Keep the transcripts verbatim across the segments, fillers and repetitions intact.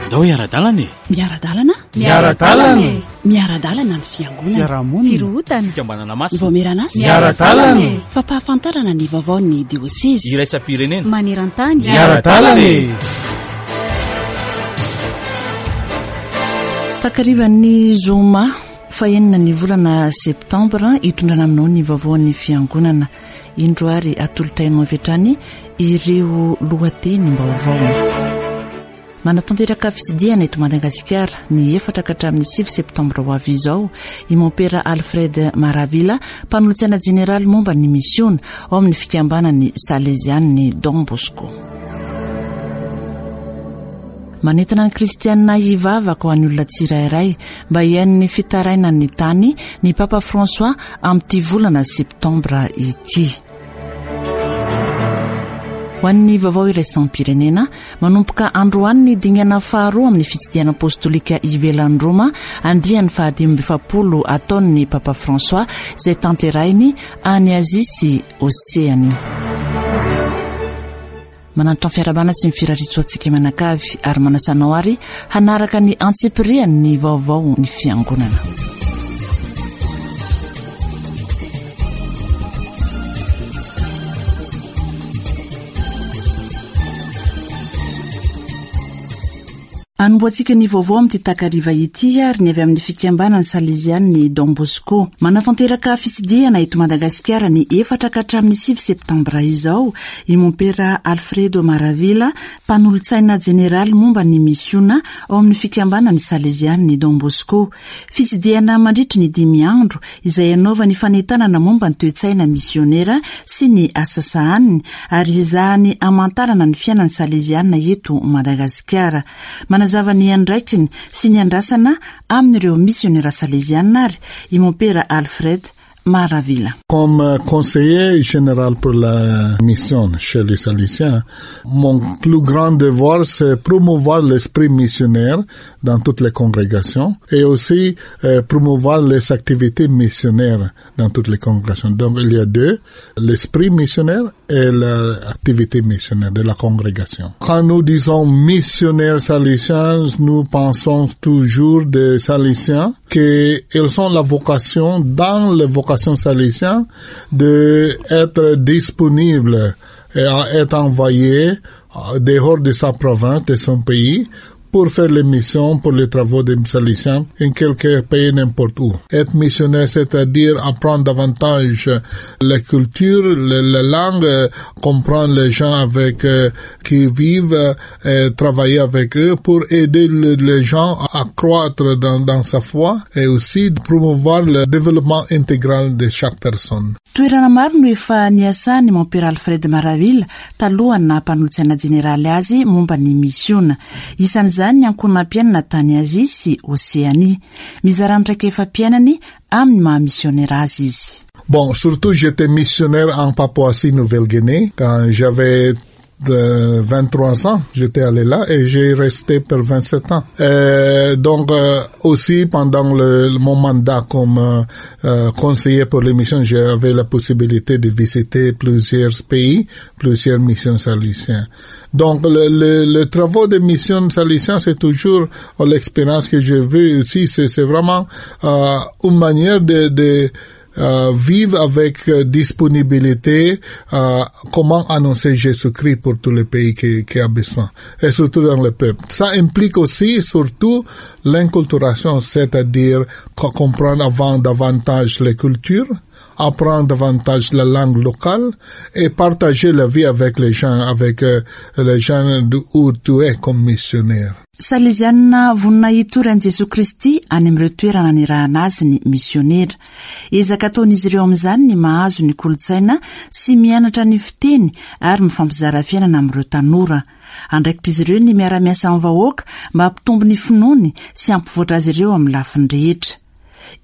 Andao hiara-dalana e! Miara-dalana? Miara-dalana e! Miara-dalana ny fiangonana. Fiarahamonina. Firohotana. Fikambanana masina. Vaomieran'asa. Miara-dalana e! Fampahafantarana ny vaovaon'ny diosezy. Iraisam-pirenena. Maneran-tany. Miara-dalana e! Takarivan'ny zoma fahenina ny volana septambra hitondrana aminao ny vaovaon'ny fiangonana. Indro ary atolotra anao avy hatrany ireo lohatenim-baovao. Manatanteraka fitsidihana eto Madagasikara ny efatra ka hatramin'ny sivy septambra ho avy izao i Mompera Alfred Maravilla, mpanolotsaina jeneraly momba ny misiona ao amin'ny fikambanan'ny Salezian'ny Don Bosco. Manentana ny kristianina hivavaka ho an'ny olona tsirairay mba hihaino ny fitarainan'ny tany ny Papa François amin'ity volana septambra ity. Ho an'ny vaovao iraisam-pirenena, manomboka androany ny dingana faharoa amin'ny fitsidihana apostolika ivelan'i Roma, andiany fahadimy amby efapolo ataon'ny Papa François izay tanterahiny any Azia sy Oseania. Manantitra ny fiarahabana sy ny firariantsoa antsika mianakavy ary manasa anao ary hanaraka ny antsipiriany ny vaovao ny fiangonana. Anombohantsika ny vaovao amin'ity takariva ity ary ny avy amin'ny fikambanan'ny Salezian'ny Don Bosco. Manatanteraka fitsidihana eto Madagasikara ny efatra ka hatramin'ny sivy septambra izao i Mompera Alfredo Maravilla, mpanolotsaina jeneraly momba ny misiona ao amin'ny fikambanan'ny Salezian'ny Don Bosco. Fitsidihana mandritry ny dimy andro izay anaovany fanentanana momba ny toe-tsaina misionera sy ny asa sahaniny ary ezahany hamantarana ny fiainan'ny Saleziana eto Madagasikara. Manazava ny andraikiny sy ny andrasana amin'ireo misionera saleziana ary i Mompera Alfred Maravilla. Comme conseiller général pour la mission chez les Salésiens, mon plus grand devoir, c'est promouvoir l'esprit missionnaire dans toutes les congrégations et aussi euh, promouvoir les activités missionnaires dans toutes les congrégations. Donc il y a deux, l'esprit missionnaire et l'activité missionnaire de la congrégation. Quand nous disons missionnaires salésiens, nous pensons toujours des Salésiens qu'ils ont la vocation, dans la vocation salésienne, de être disponible et à être envoyé dehors de sa province, de son pays, pour faire les missions, pour les travaux des Salésiens, en quelque pays, n'importe où. Être missionnaire, c'est-à-dire apprendre davantage la culture, la, la langue, comprendre les gens avec euh, qui vivent, et travailler avec eux pour aider le, les gens à croître dans, dans sa foi et aussi promouvoir le développement intégral de chaque personne. Toerana maro no efa niasany Mompera Alfred Maravilla talohan'ny naha mpanolotsaina jeneraly azy momba ny misiona. Isan'izany ny ankohonam-piainana tany Azia sy Oseania. Mizara ny traikefa-piainany amin'ny maha misionera azy izy. Bon, surtout j'étais missionnaire en Papouasie-Nouvelle-Guinée quand j'avais de vingt-trois ans, j'étais allé là et j'ai resté pour vingt-sept ans. Et donc euh, aussi pendant le, mon mandat comme euh, conseiller pour les missions, j'avais la possibilité de visiter plusieurs pays, plusieurs missions salésiennes. Donc le, le, le travail de mission salésienne, c'est toujours l'expérience que j'ai vue aussi, c'est, c'est vraiment euh, une manière de, de Euh, vivre avec euh, disponibilité, euh, comment annoncer Jésus-Christ pour tous les pays qui, qui a besoin, et surtout dans le peuple. Ça implique aussi, surtout, l'inculturation, c'est-à-dire comprendre avant davantage les cultures, apprendre davantage la langue locale et partager la vie avec les gens, avec euh, les gens où tu es comme missionnaire. Salezianina vonona hitory an'i Jesoa Kristy any amin'ireo toerana nirahana azy ny misionera. Ezaka ataon'izy ireo amin'izany ny mahazo ny kolontsaina sy mianatra ny fiteny ary mifampizara fiainana amin'ireo tanora. Andraikitr'izy ireo ny miara-miasa amin'ny vahoaka mba hampitombo ny finoany sy hampivoatra azy ireo amin'ny lafiny rehetra.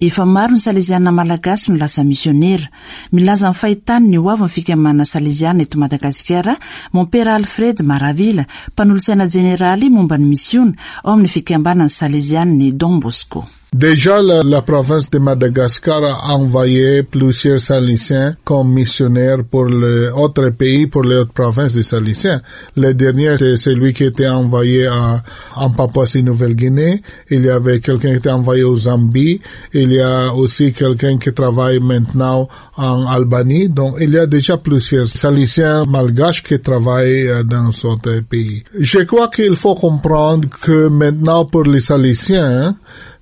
Efa maro ny Saleziana malagasy no lasa misionera. Milaza ny fahitany ny ho avy ny fikambanana Saleziana eto Madagasikara, Mompera Alfred Maravilla, mpanolotsaina jeneraly momba ny misiona ao amin'ny fikambanan'ny Salezian'ny Don Bosco. Déjà, la, la province de Madagascar a envoyé plusieurs Salésiens comme missionnaires pour les autres pays, pour les autres provinces des Salésiens. Le dernier, c'est celui qui était envoyé à, en Papouasie-Nouvelle-Guinée. Il y avait quelqu'un qui était envoyé au Zambie. Il y a aussi quelqu'un qui travaille maintenant en Albanie. Donc, il y a déjà plusieurs Salésiens malgaches qui travaillent dans d'autres pays. Je crois qu'il faut comprendre que maintenant, pour les Salésiens,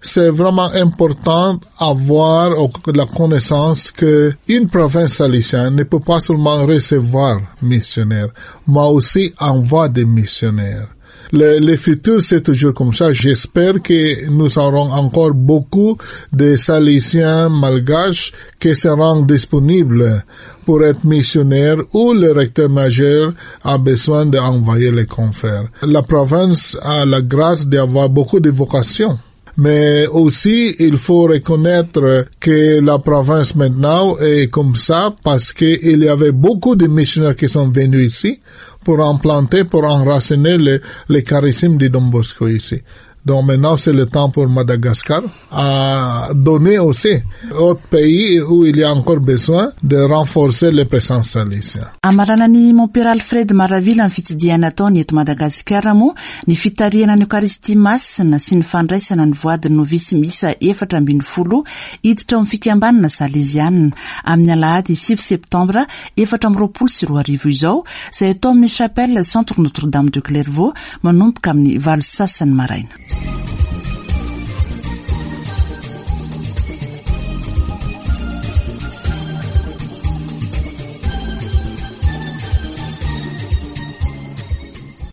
c'est vraiment important d'avoir la connaissance que une province salésienne ne peut pas seulement recevoir missionnaires, mais aussi envoyer des missionnaires. Le, le futur, c'est toujours comme ça. J'espère que nous aurons encore beaucoup de Salésiens malgaches qui seront disponibles pour être missionnaires ou le recteur majeur a besoin d'envoyer les confrères. La province a la grâce d'avoir beaucoup de vocations. Mais aussi, il faut reconnaître que la province maintenant est comme ça parce qu'il y avait beaucoup de missionnaires qui sont venus ici pour implanter, pour enraciner le, le charisme de Don Bosco ici. Donc maintenant, c'est le temps pour Madagascar à donner aussi aux pays où il y a encore besoin de renforcer les présences salésiennes. Amaranan'ny Mompera Alfred Maravila ny fitsidihana ataony eto Madagasikara moa ny fitarihana ny Eucharistie masina sy ny fandraisana ny voady novisy miisa efatra ambin'ny folo hiditra amin'ny fikambanana salezianina amin'ny alahady sivy septambra efatra amby roapolo sy roa arivo izao, izay atao amin'ny chapelle Centre Notre-Dame de Clairvaux manomboka amin'ny valo sasany maraina.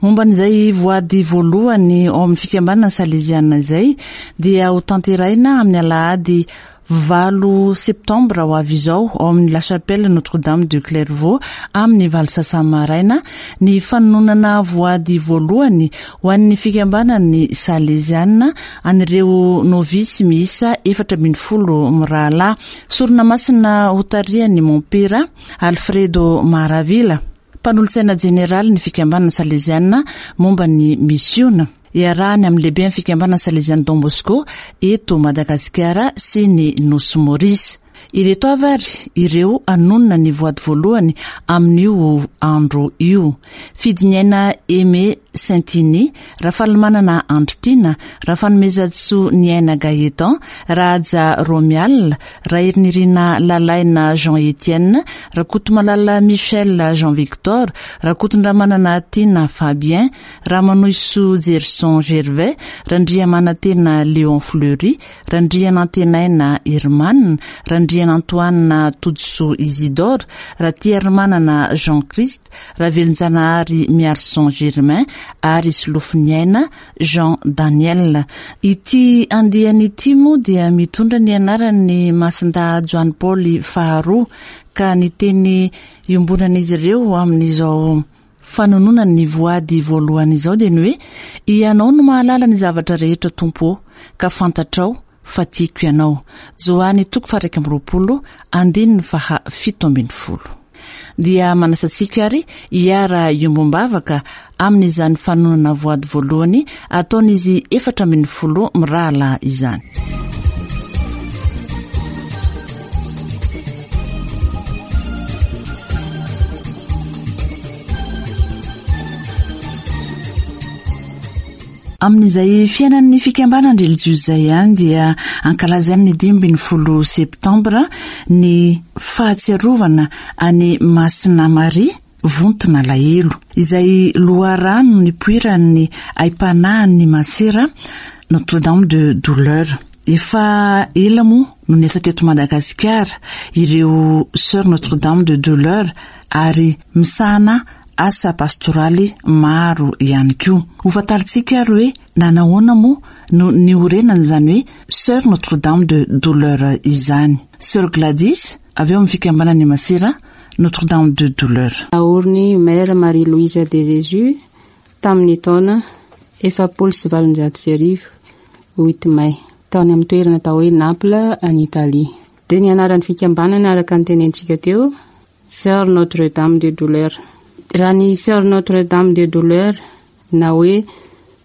Momba an'izay voady voalohany ao amin'ny fikambanana salezianina izay dia ho tanterahina amin'ny alahady valo septambra ho avy izao ao amin'ny La Chapelle Notre-Dame de Clairvaux amin'ny valo sasany maraina ny fanononana voady voalohany ho an'ny fikambanany salezianina an'ireo novisy miisa efatra ambin'ny folo mirahalahy. Sorona masina hotarihan'ny Mompera Alfredo Maravila, mpanolotsaina jeneraly ny fikambanana salezianina momba ny misiona, iarahany amin'ny lehibe amin'ny fikambanana salezianina Don Bosco eto Madagasikara sy ny Nosy Maurice. Ireto avy ary ireo anonona ny voady voalohany amin'io andro io: Fidiniaina Aimé Saintini, Rafalimanana Andritina, Rafanomezantsoa Niaina Gaëtan, Raja Romial, Raherinirina Lalaina Jean Etienne, Rakotomalala Michel Jean Victor, Rakotondramanana Tina Fabien, Ramanoiso Gerson Gervais, Randriamanantena Léon Fleury, Randrianantenaina Herman, Randrianantoanina Todisoa Isidore, Ratiarimanana Jean Christ, Ravelonjanahary Miarson Germain ary Solofoniaina Jean Daniel. Ity andiany ity moa dia mitondra ny anaran'ny Masindahy Joany Paoly faharoa, ka ny teny iombonan'izy ireo amin'izao fanononana ny voady voalohany izao dia ny hoe: Ianao no mahalala ny zavatra rehetra Tompo ô, ka fantatrao fa tiako ianao. Joany toko faha iraika amby roapolo andininy faha fito ambin'ny folo. Dia manasa antsika ary hiara iombom-bavaka amin'izany fanononana voady voalohany ataon'izy efatra ambin'ny folo mirahalahy izany. Amin'izay fiainan'ny fikambanana relijiozy izay ihany dia ankalazaina ny dimy ambin'ny folo septambra ny fahatsiarovana an'i Masina Maria vontona alahelo, izay loharano nipoiran'ny aim-panahin'ny masera Notre-Dame de Douleur. Efa ela moa no niasa teto Madagasikara ireo Sœur Notre-Dame de Douleur ary misahana asa pastoraly maro ihany koa. Ho fantarintsika ary hoe nanahoana moa no niorenana izany hoe Sœur Notre-Dame de Douleur izany. Sœur Gladys avy eo amin'ny fikambanan'ny masera Notre-Dame de Douleur. Naoriny Mère Marie-Louise de Jésus tamin'ny taona efapolo sy valonjato sy arivo huit mai tany amin'ny toerana atao hoe Naples any Italie. Dia ny anaran'ny fikambanana araka ny tenentsika teo, Sœur Notre-Dame de Douleur. Raha ny Sœur Notre-Dame de Douleur na hoe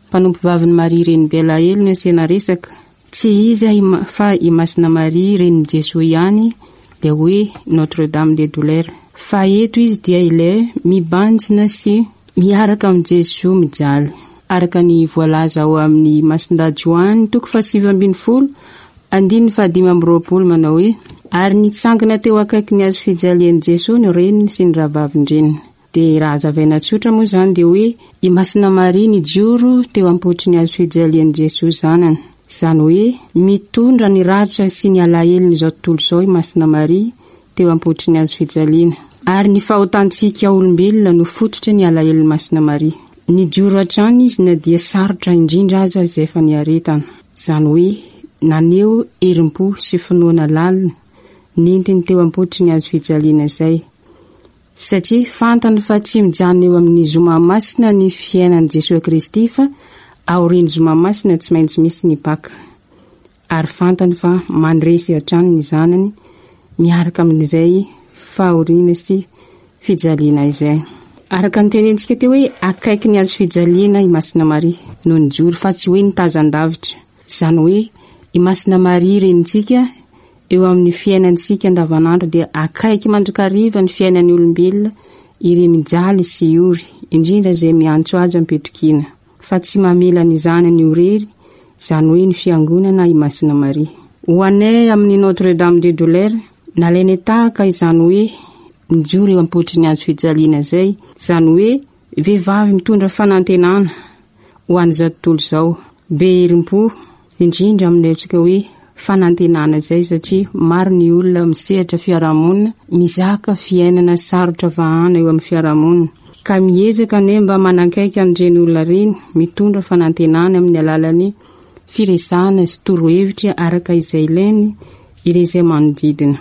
mpanompovavin'i Maria Renibe Alahelo no asiana resaka, Tsy iza fa i Masina Maria renin'i Jesoa ihany, ilay hoe Notre Dame des Douleurs. Fa eto izy dia ilay mibanjina sy miaraka amin'i Jesoa mijaly. Araka ny voalaza ao amin'ny Masindahy Joany toko fahasivy ambin'ny folo andininy fahadimy amby roapolo manao hoe: ary nitsangana teo akaiky ny hazo fijalian'i Jesoa ny reniny sy ny rahavavin-dreniny. Dia raha hazavaina tsotra moa izany dia hoe i Masina Maria nijoro teo am-potry ny hazo fijalian'i Jesoa zanany. Izany hoe mitondra ny ratra sy ny alahelon'izao tontolo izao i Masina Maria teo am-potry ny hazo fijaliana. Ary ny fahotantsika olombelona no fototra ny alahelon'i Masina Maria. Nijoro hatrany izy na dia sarotra indrindra aza izay efa niaretana. Izany hoe naneho herim-po sy finoana lalina nentiny teo am-potry ny hazo fijaliana izay. Satria fantany fa tsy mijanona eo amin'ny zoma masina ny fiainan'i Jesoa Kristy, fa aorian'ny zoma masina tsy maintsy misy ny Paka. Ary fantany fa mandresy hatrany ny zanany miaraka amin'izay fahoriana sy fijaliana izay. Araka ny tenentsika teo hoe akaiky ny hazo fijaliana i Masina Maria no nijoro, fa tsy hoe nitazan-davitra. Izany hoe i Masina Maria renintsika eo amin'ny fiainantsika andavanandro dia akaiky mandrakariva ny fiainan'ny olombelona ireo mijaly sy ory, indrindra izay miantso azy am-pitokiana, fa tsy mamela ny zanany ho irery, izany hoe ny fiangonana i Masina Maria. Ho anay amin'ny Notre Dame des Douleurs, nalainay tahaka izany hoe nijoro eo am-potry ny hazo fijaliana izay, izany hoe vehivavy mitondra fanantenana ho an'izao tontolo izao, be herim-po indrindra amin'ny antsika hoe fanantenana izay, satria maro ny olona misehatra fiarahamonina mizaka fiainana sarotra vahana eo amin'ny fiarahamonina, ka miezaka ane mba manakaiky an'ireny olona ireny, mitondra fanantenana amin'ny alalan'ny firesahana sy torohevitra araka izay ilainy ireo izay manodidina.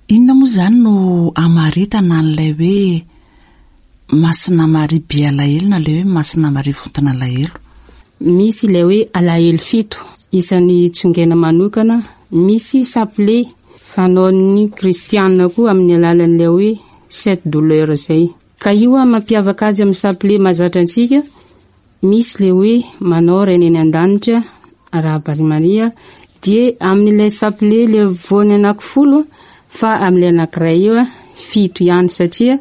Inona moa izany no amaritana an'ilay hoe Masina Maria be alahelo na ilay hoe Masina Maria vontina alahelo? Misy ilay hoe alahelo fito, isan'ny tsongaina manokana, misy saple fanaon'ny kristianina koa amin'ny alalan'ilay hoe sept douleurs izay. Ka io a mampiavaka azy amin'ny saple mahazatra antsika, misy ilay hoe manao Ray any an-danitra, arahaba ry Maria, dia amin'ilay saple ilay voany anankifolo, fa amin'ilay anankiray io a fito ihany, satria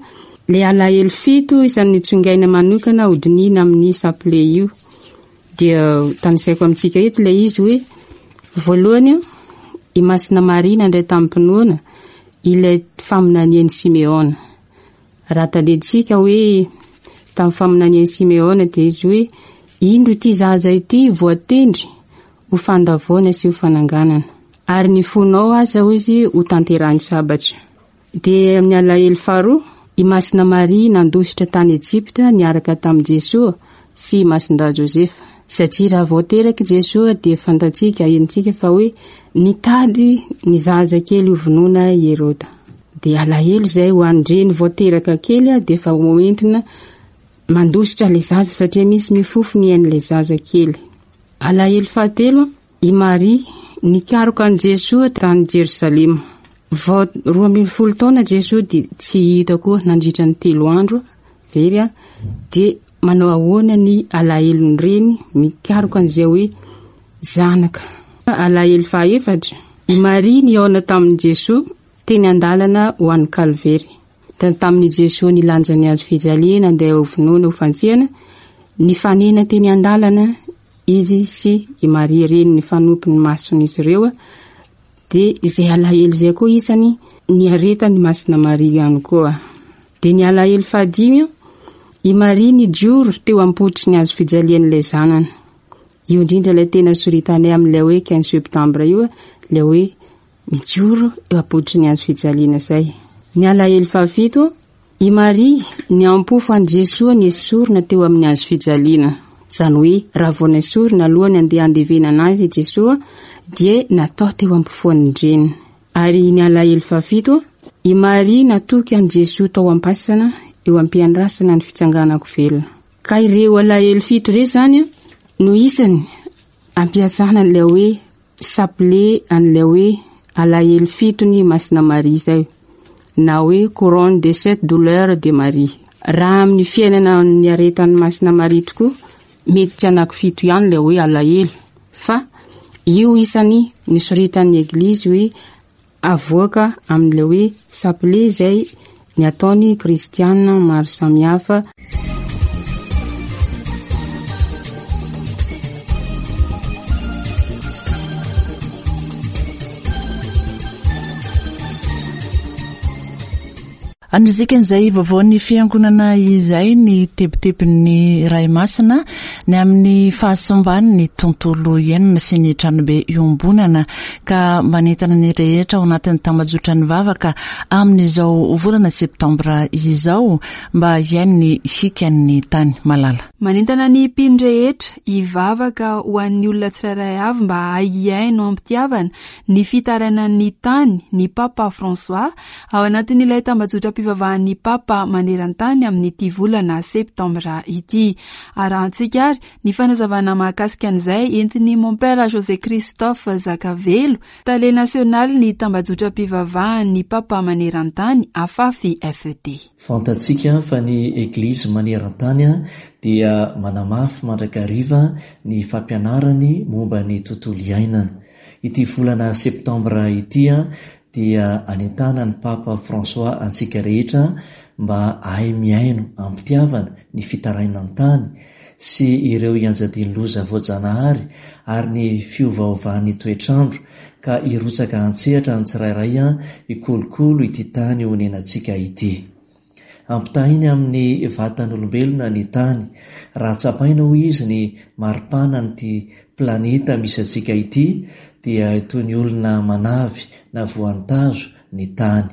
ilay alahelo fito isan'ny tsongaina manokana hodinihina amin'ny saple io. Dia tanisaiko amintsika eto ilay izy hoe voalohany i Masina Maria nandray tamim-pinoana ilay faminanian'i Simeona. Raha tadidintsika hoe tamin'ny faminanian'i Simeona dia izy hoe indro ity zaza ity voatendry ho fandavoana sy ho fananganana, ary ny fonao aza hoy izy ho tanterahan'ny sabatra. Dia amin'ny alahelo faharoa, i Masina Maria nandositra tany Ejipta niaraka tamin'i Jesoa sy i Masindahy Josefa, satria raha vao teraka Jesoa dia fantatsika, henontsika fa hoe nitady ny zaza kely ho vonoina i Heroda. Dia alahelo izay ho an-dreny vao teraka kely dia efa hoentina mandositra ilay zaza, satria misy mifofo ny ain'ilay zaza kely. Alahelo fahatelo, i Maria nikaroka an'i Jesoa tany Jerosalema. Vao roa ambin'ny folo taona Jesoa dia tsy hita koa nandritra ny telo andro very a, dia manao ahoana ny alahelon'ny reny mikaroka an'izay hoe zanaka. Alahelo fahaefatra, i Maria nihaona tamin'i Jesoa teny an-dalana ho an'ny Kalvery. Tamin'i Jesoa nilanja ny hazo fijaliana andeha ho vonoina ho fantsihana, nifanena teny an-dalana izy sy i Maria reny nifanompo ny mason'izy ireo, dia izay alahelo izay koa isany niaretan'i Masina Maria ihany koa. Dia ny alahelo fahadimy, i Maria nijoro teo am-potry ny hazo fijalian'ilay zanany. Io indrindra ilay tena soritanay amin'ilay hoe quinze septembre io, ilay hoe mijoro eo am-potry ny hazo fijaliana izay. Ny alahelo fahafito, i Maria niampofo an'i Jesoa nesorina teo amin'ny hazo fijaliana. Izany hoe raha vao nesorina alohan'ny andeha handevenana azy i Jesoa dia natao teo ampofoan'ny reny. Ary ny alahelo fahafito, i Maria natoky an'i Jesoa tao am-pasana eo am-piandrasana ny fitsanganako velona. Ka ireo alahelo fito ireo izany no isany ampiasana an'ilay hoe saple an'ilay hoe alahelo fito ny Masina Maria izay, na hoe couronne de sept douleurs de Marie. Raha amin'ny fiainana niaretan'ny Masina Maria tokoa, mety tsy anankifito ihany ilay hoe alahelo, fa Io isany nisoritan'ny Eglizy hoe avoaka amin'ilay hoe chapelet izay ny ataony kristiana maro samihafa. Andrizikan'izay vaovaon'ny fiangonana izay ny tebitebin'ny Ray Masina ny amin'ny fahasimban'ny tontolo iainana sy ny tranobe iombonana ka manentana ny rehetra ao anatin'ny tambajotra ny vavaka amin'izao volana septambra izao mba hiaino ny hikan'ny tany malala. Manentana ny mpino rehetra hivavaka ho an'ny olona tsirairay avy mba hiaino am-pitiavana ny fitarainan'ny tany ny Papa François ao anatin'ilay tambajotra fivavahan'ny Papa maneran-tany amin'ity volana septambra ity. Arahantsika ary ny fanazavana mahakasika an'izay entin'ny Mompera José Christophe Zakavelo, tale nasionaly ny tambajotram-pivavahan'ny Papa maneran-tany Afafi F E T. Fantatsika fa ny Eglizy maneran-tany dia manamafy mandrakariva ny fampianarany momba ny tontolo iainana. Ity volana septambra ity dia anentana ny Papa François antsika rehetra mba hahay mihaino am-pitiavana ny fitarainan'ny tany sy ireo ianjadian'ny loza voajanahary ary ny fiovaovan'ny toetrandro ka hirotsaka an-tsehatra ny tsirairay hikolokolo ity tany honenantsika ity. Ampitahainy amin'ny vatan'olombelona ny tany. Raha tsapaina hoy izy ny maripanan'ity planeta misy antsika ity dia toy ny olona manavy na voan-tazo ny tany.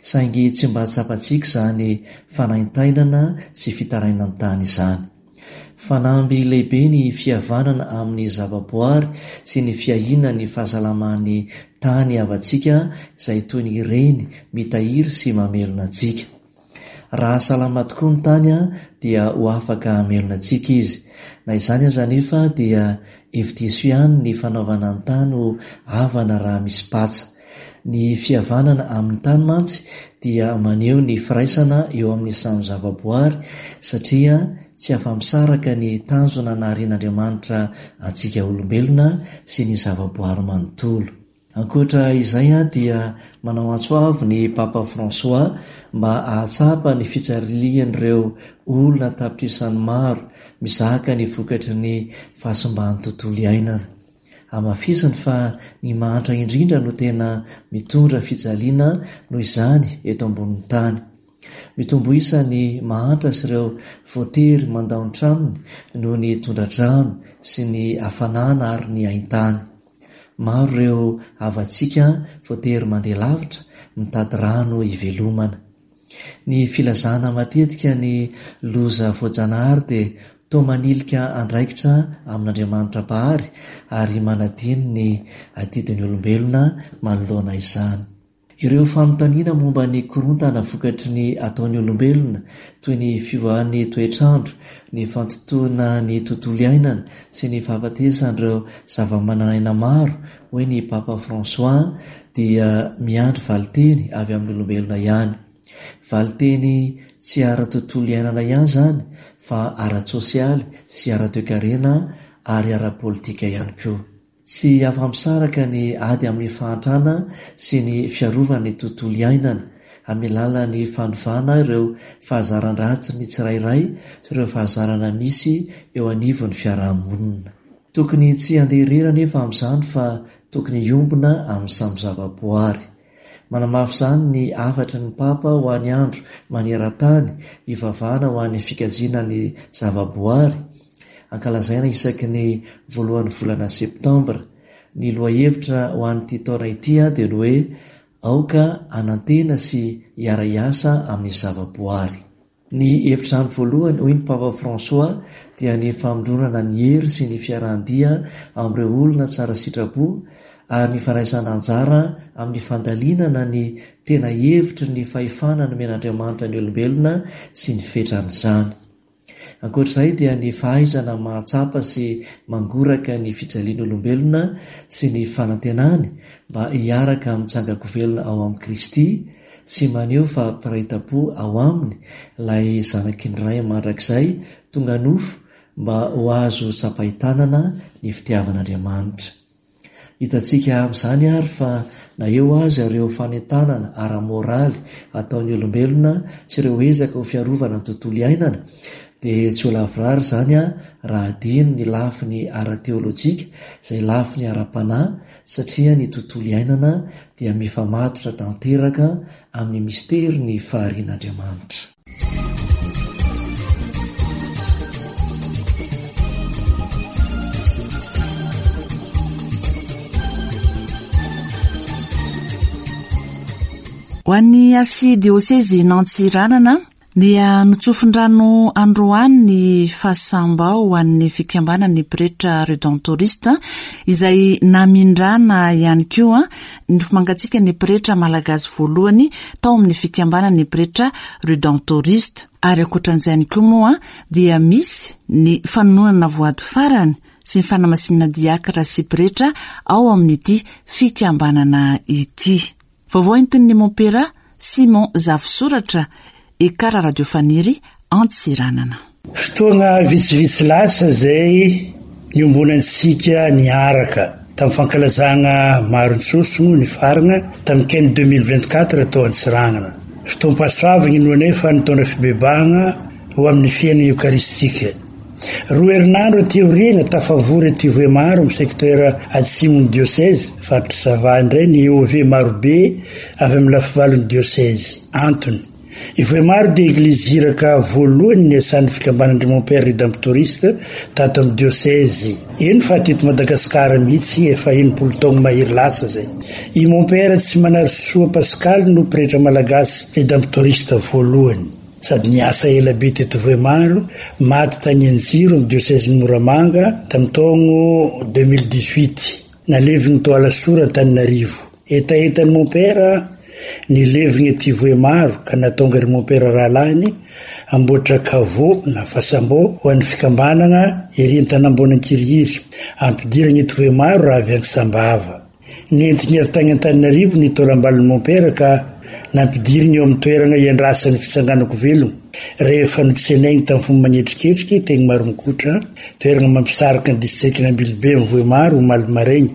Saingy tsy mba tsapantsika izany fanaintainana sy fitarainan'ny tany izany. Fanamby lehibe ny fihavanana amin'ny zavaboary sy ny fiahiana ny fahasalaman'ny tany havantsika izay toy ny reny mitahiry sy mamelona antsika. Raha salama tokoa ny tany dia ho afaka hamelona antsika izy. Na izany aza anefa dia hevi-diso ihany ny fanaovana ny tany ho havana raha misy patsa. Ny fihavanana amin'ny tany mantsy dia maneho ny firaisana eo amin'ny samy zavaboary satria tsy afa-misaraka ny tanjona naharian'Andriamanitra antsika olombelona sy ny zavaboary manontolo. Ankoatra izay dia manao antso avo ny Papa François mba hahatsapa ny fitsarilian'ireo olona tapitrisany maro mizaka ny vokatry ny fahasimban'ny tontolo iainana. Hamafisiny fa ny mahantra indrindra no tena mitondra fijaliana noho izany eto ambonin'ny tany. Mitombo isa ny mahantra sy ireo voatery mandao ny tranony noho ny tondra-drano sy ny hafanana ary ny haintany. Maro ireo havantsika voatery mandeha lavitra mitady rano hivelomana. Ny filazana matetika ny loza voajanahary dia toa manilika andraikitra amin'Andriamanitra Mpahary ary manadino ny adidin'ny olombelona manoloana izany. Ireo fanontaniana momba ny korontana vokatry ny ataon'ny olombelona toy ny fiovan'ny toetrandro, ny fantotoana ny tontolo iainana sy ny fahafatesan'ireo zava-mananaina maro, hoy ny Papa François, dia miandry valinteny avy amin'ny olombelona ihany. Valinteny tsy ara-tontolo iainana ihany izany fa ara-tsosialy sy ara-toekarena ary ara-politika ihany koa. Tsy afa-misaraka ny ady amin'ny fahantrana sy ny fiarovana ny tontolo iainana amin'ny alalan'ny fanovana ireo fahazaran-dratsy ny tsirairay sy ireo fahazarana misy eo anivon'ny fiarahamonina. Tokony tsy handeha irery anefa amin'izany fa tokony hiombona amin'ny samy zavaboary. Manamafy izany ny hafatry ny Papa ho an'ny andro maneran-tany hivavahana ho an'ny fikajiana ny zavaboary, ankalazaina isaky ny voalohan'ny volana septambra. Ny lohahevitra ho an'ity taona ity dia ny hoe aoka hanantena sy hiara-hiasa amin'ny zavaboary. Ny hevitrano voalohany, hoy ny Papa François, dia ny famondronana ny hery sy ny fiarahan-dia amin'ireo olona tsara sitrapo ary ny fandraisana anjara amin'ny fandalinana ny tena hevitry ny fahefana nomen'Andriamanitra ny olombelona sy ny fetran'izany. Ankoatr'izay dia ny fahaizana mahatsapa sy mangoraka ny fijalian'olombelona sy ny fanantenany mba hiaraka mitsangan-kovelona ao amin'i Kristy sy maneho fa mpiray tampo ao aminy ilay zanaky ny Ray mandrakizay tonga nofo mba ho azo tsapain-tanana ny fitiavan'Andriamanitra. Hitantsika amin'izany ary fa na eo aza ireo fanentanana ara-moraly ataon'ny olombelona sy ireo ezaka ho fiarovana ny tontolo iainana, dia tsy ho lavorary izany raha adino ny lafiny ara-teolojika izay lafiny ara-panahy, satria ny tontolo iainana dia mifamatotra tanteraka amin'ny misterin'ny faharian'Andriamanitra. Ho an'ny arsidiosezin'Antsiranana dia notsofin-drano androany ny fasambao ho an'ny fikambanan'ny pretra redentorista izay namindrana ihany koa ny fomangatsika ny pretra malagasy voalohany tao amin'ny fikambanan'ny pretra redentorista. Ary ankoatran'izay ihany koa moa dia misy ny fanononana voady farany sy ny fanamasinana diakra sy pretra ao amin'ity fikambanana ity. Vaovao entin'ny mompera Simon Zafisoratra, Ekara Radio Faniry, Antsiranana. Fotoana vitsivitsy lasa izay niombonantsika niaraka tamin'ny fankalazana marontsoso ny farina tamin'ny Ken deux mille vingt-quatre tao Antsiranana. Fotoam-pahasoavana no anefa nitondra fibebahana ho amin'ny fiainana eokaristika. Roa herinandro aty aoriana tafavory aty Vohemaro amin'ny secteur atsimon'ny diocèse faritra Sava indray ny E O V marobe avy amin'ny lafivalon'ny diocèse. Antony, i Vohemaro dia eglizy iraka voalohany niasan'ny fikambanan'ny Mompera Redemptoriste tato amin'ny diocèse. Eny fa teto Madagasikara mihitsy efa enimpolo taona mahery lasa izay. I Mompera tsy Manarisoa Pascal no pretra malagasy Redemptoriste voalohany. Sady niasa ela be teto Vohemaro, maty tany Anjiro amin'ny diocèse Moramanga tamin'ny taona deux mille dix-huit. Naleviny tao Alasora Antananarivo. Hetahetan'ny Mompera nileviny aty Vohemaro ka nahatonga ry Mompera rahalahiny amboatra caveau na fasambao ho an'ny fikambanana ery Antanambona Ankirihiry. Ampidirana eto Vohemaro raha avy any Sambava. Nentiny avy tany Antananarivo ny taolam-balin'ny Mompera ka nampidiriny eo amin'ny toerana iandrasan'ny fitsanganako velona. Rehefa notsenainy tamin'ny fomba manetriketrika teny Maromokotra, toerana mampisarika ny distrikan'Ambilobe amin'ny Vohemaro omaly maraina,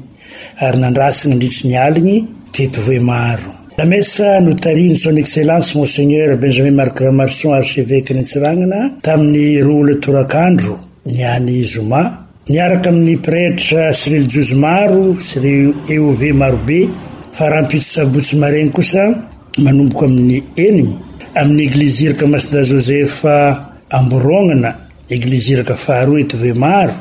ary nandrasana nandritry ny aliny teto Vohemaro. La messe notarihin'ny Son Excellence Monseigneur Benjamin Marc Ramarson, archevêque Antsiranana, tamin'ny roa ora torakandro ny any zoma, niaraka amin'ny pretra sy relijiozy maro sy ireo E O V marobe, fa rahampitso sabotsy maraina kosa manomboka amin'ny eniny amin'ny eglizy iraka Masina Joseph Amboronana, eglizy iraka faharoa eto Vohemaro,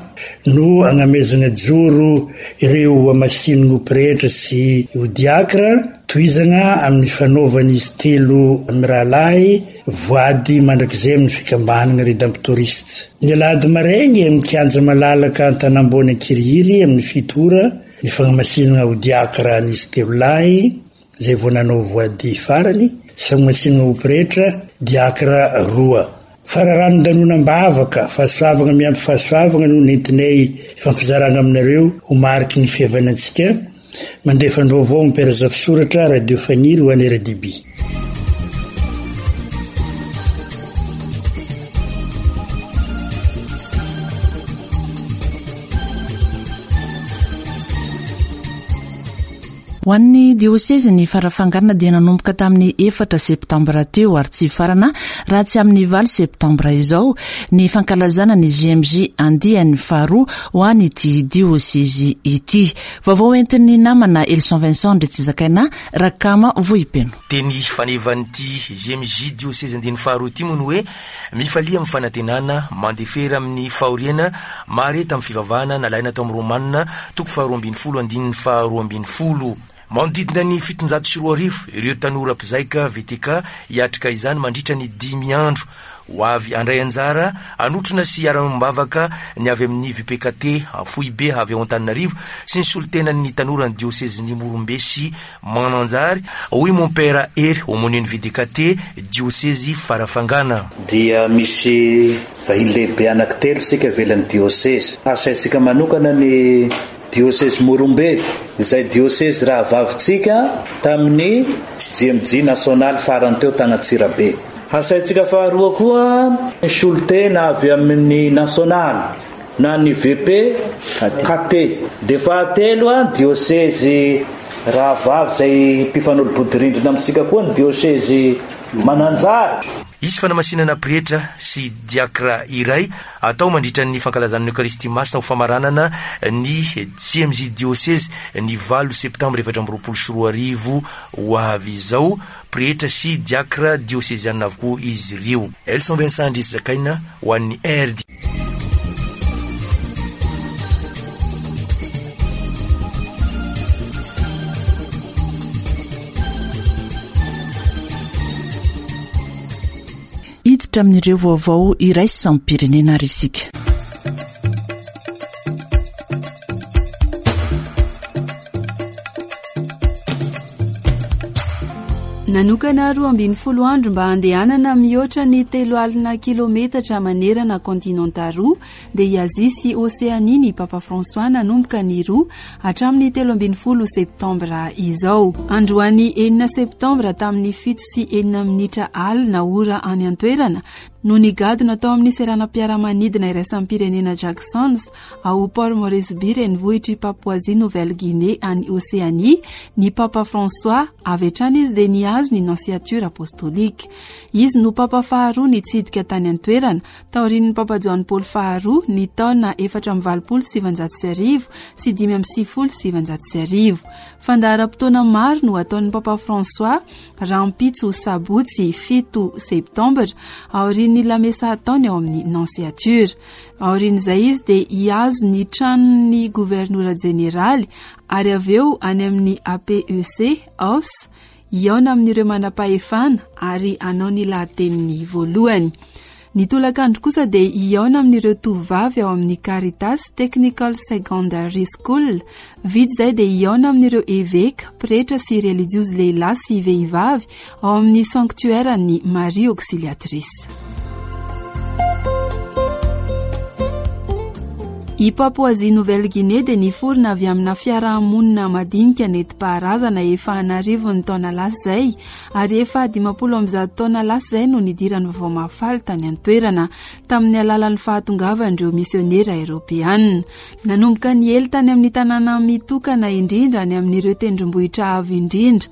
no agnamezana joro ireo amasin'ny pretra sy ho diakra, tohizana amin'ny fanaovan'izy telo mirahalahy voady mandrakizay amin'ny fikambanana Redemptoriste. Ny alahady maraina amin'ny kianja malalaka Antanambona Ankirihiry amin'ny fito ora ny fanamasinana ho diakra an'izy telo lahy izay vao nanao voady farany, sy fanamasinana ho pretra diakra roa. Fararanon-danonam-bavaka, fahasoavana miampy fahasoavana no nentinay fampizarana aminareo ho mariky ny fihavanantsika. Mandefa ny vaovao Mompera Zafisoratra, Radio Faniry ho an'ny R D B. Ho an'ny diosezy ny Farafangana dia nanomboka tamin'ny efatra septambra teo ary tsy hifarana raha tsy amin'ny valo septambra izao ny fankalazana ny J M J andiany faharoa ho an'ity diosezy ity. Vaovao entin'ny namana Elson Vincent Ndretsizakaina Rakama Vohipeno. Teny fanevan'ity J M J diosezy andiany faharoa ity moa ny hoe mifalia amin'ny fanantenana, mandefera amin'ny fahoriana, mahareta amin'ny fivavahana, nalaina tao amin'ny Romanina toko faharoa ambin'ny folo andininy faharoa ambin'ny folo. Manodidina ny fitonjato sy roa arivo ireo tanora mpizaika V T K hiatrika izany mandritra ny dimy andro. Ho avy handray anjara hanotrona sy hiara-mivavaka ny avy amin'ny V P K T foibe avy ao Antananarivo sy ny solontenan'ny tanora ny diosezin'ny Morombe sy Mananjary, hoy Mompera Hery homonian'ny V D K T diosezy Farafangana. Dia misy vahiny lehibe anankitelo isika ivelan'ny diosezy. Asaintsika manokana ny diosezy Morombe, izay diosezy rahavavintsika tamin'ny J M J nasionaly farany teo tany Antsirabe. Asaintsika faharoa koa ny solontena avy amin'ny nasionaly, na ny V P K T. Dia fahatelo a diosezy rahavavy izay mpifanolo-bodirindrina amintsika koa ny diosezy Mananjary. Hisy fanamasinana pretra sy diakra iray atao mandritra ny fankalazana ny Eucharistie Masina ho famaranana ny J M J diosezy ny valo septambra efatra amby roapolo sy roa arivo ho avy izao. Pretra sy diakra diosezianina avokoa izy ireo. Elson Vincent Andriazakaina ho an'ny R D. Hiditra amin'ireo vaovao iraisam-pirenena ary isika. Nanokana roa ambin'ny folo andro mba handehanana mihoatra ny telo alina kilometatra manerana kontinanta roa dia i Azia sy Oseania ny Papa François nanomboka ny roa hatramin'ny telo ambin'ny folo septambra izao. Androany enina septambra tamin'ny fito sy enina minitra alina ora any an-toerana no nigadona tao amin'ny seranam-piaramanidina iraisam-pirenena Jacksons ao Port Moresby renivohitr'i Papouasie Nouvelle-Guinée any Océanie ny Papa François. Avy hatrany izy dia nihazo ny nonciature apostolique. Izy no Papa faharoa nitsidika tany an-toerana taorian'ny Papa Joany Paoly faharoa ny taona efatra amby valopolo sy sivinjato sy arivo sy dimy amby sivifolo sy sivinjato sy arivo. Fandaharam-potoana maro no ataon'ny Papa François rahampitso sabotsy fito septambra aorian'ny lamesa ataony ao amin'ny nonciature. Aorian'izay izy dia hihazo ny tranon'ny governora jeneraly ary avy eo any amin'ny A P E C House hihaona amin'ireo manam-pahefana ary hanao ny lahateniny voalohany. Ny tolakandro kosa dia hihaona amin'ireo tovovavy ao amin'ny Caritas Technical Secondary School. Vita izay dia hihaona amin'ireo eveka, pretra sy relijiozy lehilahy sy vehivavy ao amin'ny sanctuaire-n'ny Marie Auxiliatrice. I Papouasie Nouvelle-Guinée dia niforona avy amina fiarahamonina madinika nentim-paharazana efa an'arivony taona lasa izay ary efa dimampolo amby zato taona lasa izay no nidiran'ny vaovao mahafaly tany an-toerana tamin'ny alalan'ny fahatongavan'ireo misionera eoropeanina. Nanomboka niely tany amin'ny tanàna mitokana indrindra any amin'ireo tendrombohitra avo indrindra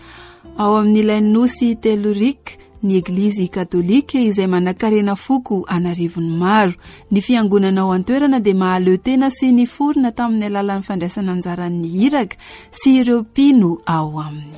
ao amin'ilay nosy Tellurique ny Eglizy katolika izay manankarena foko an'arivony maro. Ny fiangonana ao an-toerana dia mahaleo tena sy niforona tamin'ny alalan'ny fandraisana anjaran'ny iraka sy ireo mpino ao aminy.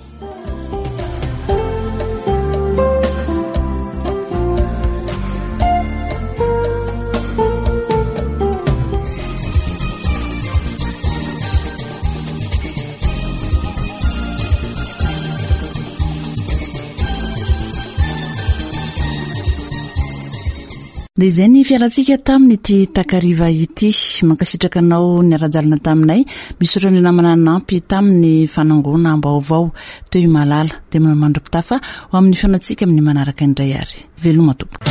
Dia izay ny fialantsika tamin'ity takariva ity. Mankasitraka anao niara-dalana taminay. Misaotra ny namana nanampy tamin'ny fanangonam-baovao teo i Malala. Dia manao mandra-pitafa ho amin'ny fihaonantsika amin'ny manaraka indray ary. Veloma tompoko.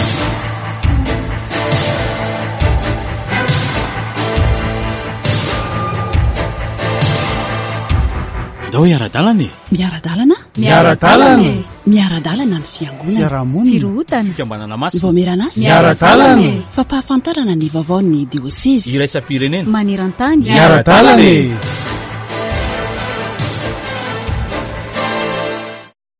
Ndao hiara-dalana e. Miara-dalana? Miara-dalana e. Miara-dalana ny fiangonana. Fiarahamonina. Firohotana. Fikambanana masina. Voamerana asa. Miara-dalana e. Fampahafantarana ny vaovaon'ny diosezy. Iraisam-pirenena. Maneran-tany. Miara-dalana e.